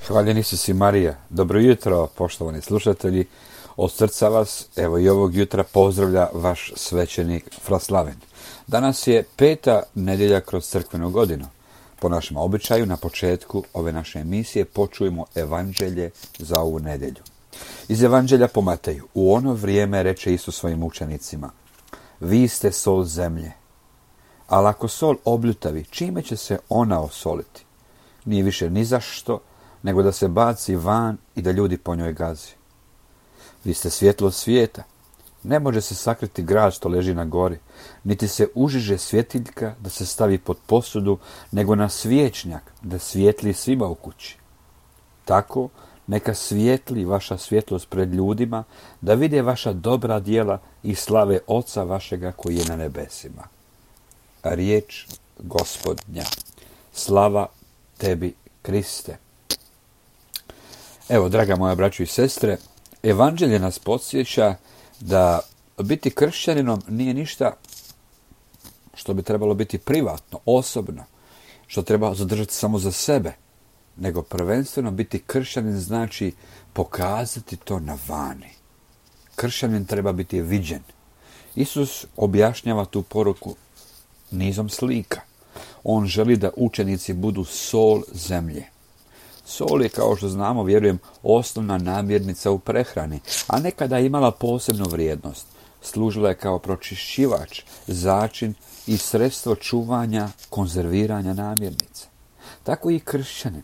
Hvaljen Isus i Marija. Dobro jutro, poštovani slušatelji. Od srca vas, evo i ovog jutra pozdravlja vaš svećenik Fraslaven. Danas je 5. nedjelja kroz crkvenu godinu. Po našem običaju, na početku ove naše emisije počujemo evanđelje za ovu nedjelju. Iz evanđelja po Mateju. U ono vrijeme reče Isus svojim učenicima: vi ste sol zemlje. Ali ako sol obljutavi, čime će se ona osoliti? Nije više ni za što, nego da se baci van i da ljudi po njoj gazi. Vi ste svjetlo svijeta. Ne može se sakriti grad što leži na gori, niti se užiže svjetiljka da se stavi pod posudu, nego na svječnjak da svijetli svima u kući. Tako neka svijetli vaša svjetlost pred ljudima, da vide vaša dobra djela i slave Oca vašega koji je na nebesima. Riječ Gospodnja. Slava tebi, Kriste. Evo, draga moja braćo i sestre, evanđelje nas podsjeća da biti kršćaninom nije ništa što bi trebalo biti privatno, osobno, što treba zadržati samo za sebe, nego prvenstveno biti kršćanin znači pokazati to na vani. Kršćanin treba biti viđen. Isus objašnjava tu poruku nizom slika. On želi da učenici budu sol zemlje. Sol je, kao što znamo, vjerujem, osnovna namirnica u prehrani, a nekada je imala posebnu vrijednost. Služila je kao pročišćivač, začin i sredstvo čuvanja, konzerviranja namirnica. Tako i kršćanin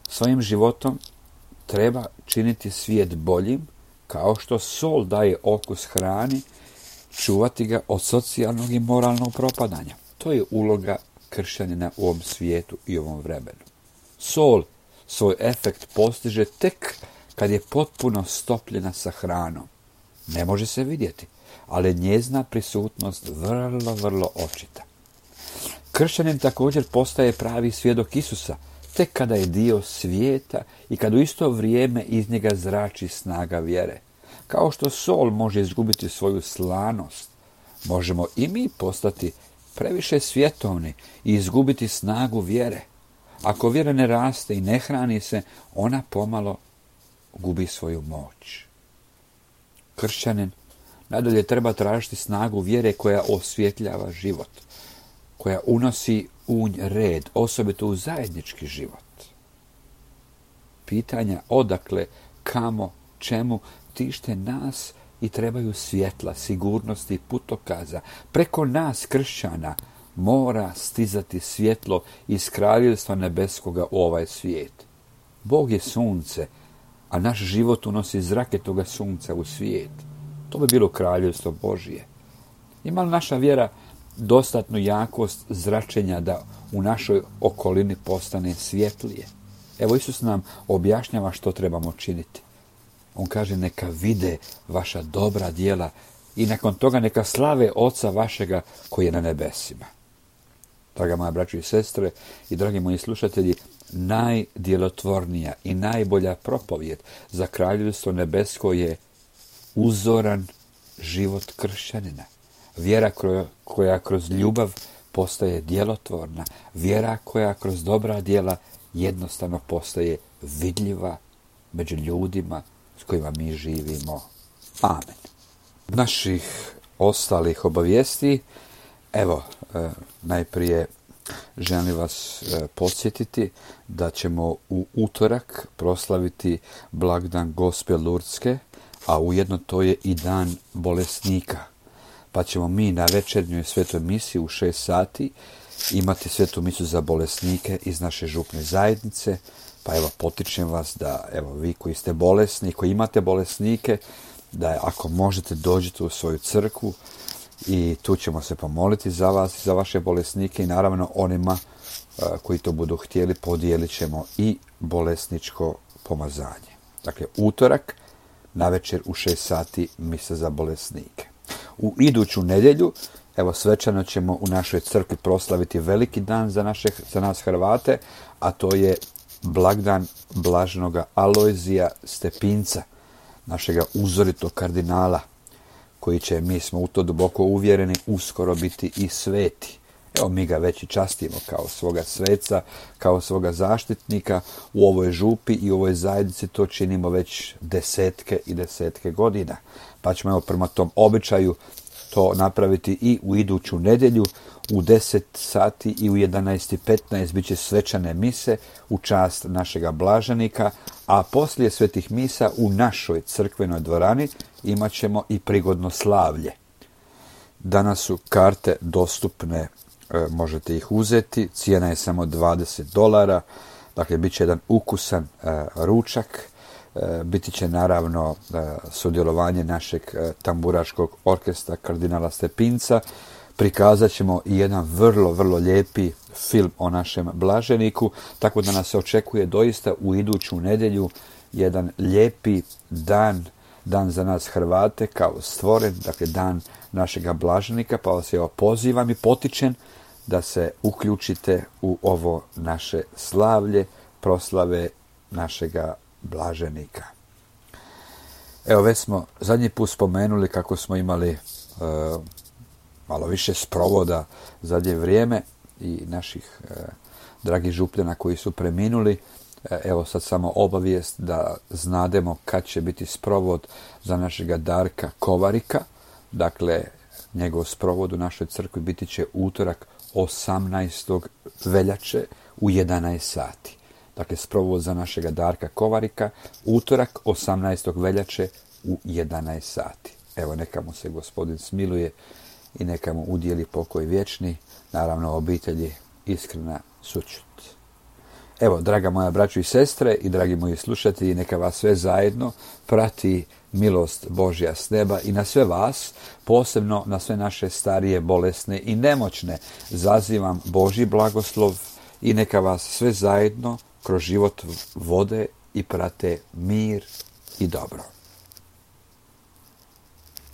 svojim životom treba činiti svijet boljim, kao što sol daje okus hrani, čuvati ga od socijalnog i moralnog propadanja. To je uloga kršćanina u ovom svijetu i ovom vremenu. Sol svoj efekt postiže tek kad je potpuno stopljena sa hranom. Ne može se vidjeti, ali njezina prisutnost vrlo očita. Kršćanin također postaje pravi svjedok Isusa, tek kada je dio svijeta i kad u isto vrijeme iz njega zrači snaga vjere. Kao što sol može izgubiti svoju slanost, možemo i mi postati previše svjetovni i izgubiti snagu vjere. Ako vjera ne raste i ne hrani se, ona pomalo gubi svoju moć. Kršćanin nadalje treba tražiti snagu vjere koja osvjetljava život, koja unosi red, osobito u zajednički život. Pitanja odakle, kamo, čemu tište nas i trebaju svjetla, sigurnosti i putokaza. Preko nas, kršćana, mora stizati svjetlo iz kraljevstva nebeskoga u ovaj svijet. Bog je sunce, a naš život unosi zrake toga sunca u svijet. To bi bilo kraljevstvo Božije. Ima li naša vjera dostatnu jakost zračenja da u našoj okolini postane svjetlije? Evo, Isus nam objašnjava što trebamo činiti. On kaže: neka vide vaša dobra djela i nakon toga neka slave Oca vašega koji je na nebesima. Draga moja braćo i sestre i dragi moji slušatelji, najdjelotvornija i najbolja propovijed za kraljevstvo nebesko je uzoran život kršćanina. Vjera koja kroz ljubav postaje djelotvorna. Vjera koja kroz dobra djela jednostavno postaje vidljiva među ljudima s kojima mi živimo. Amen. Naših ostalih obavijesti, evo, najprije želim vas podsjetiti da ćemo u utorak proslaviti blagdan Gospe Lurdske, a ujedno to je i dan bolesnika. Pa ćemo mi na večernjoj svetoj misi u 6 sati imati svetu misu za bolesnike iz naše župne zajednice. Pa evo, potičem vas da, evo, vi koji ste bolesni, koji imate bolesnike, da ako možete dođete u svoju crkvu i tu ćemo se pomoliti za vas i za vaše bolesnike i naravno onima koji to budu htjeli podijelit ćemo i bolesničko pomazanje. Dakle, utorak navečer u 6 sati misa za bolesnike. U iduću nedjelju, evo, svečano ćemo u našoj crkvi proslaviti veliki dan za nas Hrvate, a to je blagdan blaženoga Alojzija Stepinca, našega uzoritog kardinala, koji će, mi smo u to duboko uvjereni, uskoro biti i sveti. Evo, mi ga već i častimo kao svoga sveca, kao svoga zaštitnika u ovoj župi i u ovoj zajednici. To činimo već desetke i desetke godina. Pa ćemo evo prema tom običaju to napraviti i u iduću nedjelju u 10 sati i u 11:15 bit će svečane mise u čast našega blaženika, a poslije svetih misa u našoj crkvenoj dvorani imat ćemo i prigodno slavlje. Danas su karte dostupne, možete ih uzeti, cijena je samo $20, dakle bit će jedan ukusan ručak, biti će naravno sudjelovanje našeg tamburaškog orkestra kardinala Stepinca, prikazat ćemo i jedan vrlo, vrlo lijepi film o našem blaženiku, tako da nas se očekuje doista u iduću nedjelju jedan lijepi dan za nas Hrvate kao stvoren, dakle dan našega blaženika, pa vas evo pozivam i potičem da se uključite u ovo naše slavlje, proslave našega blaženika. Evo, već smo zadnji put spomenuli kako smo imali malo više sprovoda zadnje vrijeme i naših dragih župljana koji su preminuli. Evo sad samo obavijest da znademo kad će biti sprovod za našega Darka Kovarika. Dakle, njegov sprovod u našoj crkvi biti će utorak 18. veljače u 11 sati. Dakle, sprovod za našega Darka Kovarika, utorak 18. veljače u 11 sati. Evo, neka mu se Gospodin smiluje i neka mu udijeli pokoj vječni, naravno obitelji iskrena sućut. Evo, draga moja braćo i sestre i dragi moji slušatelji, neka vas sve zajedno prati milost Božja s neba i na sve vas, posebno na sve naše starije, bolesne i nemoćne, zazivam Božji blagoslov i neka vas sve zajedno kroz život vode i prate mir i dobro.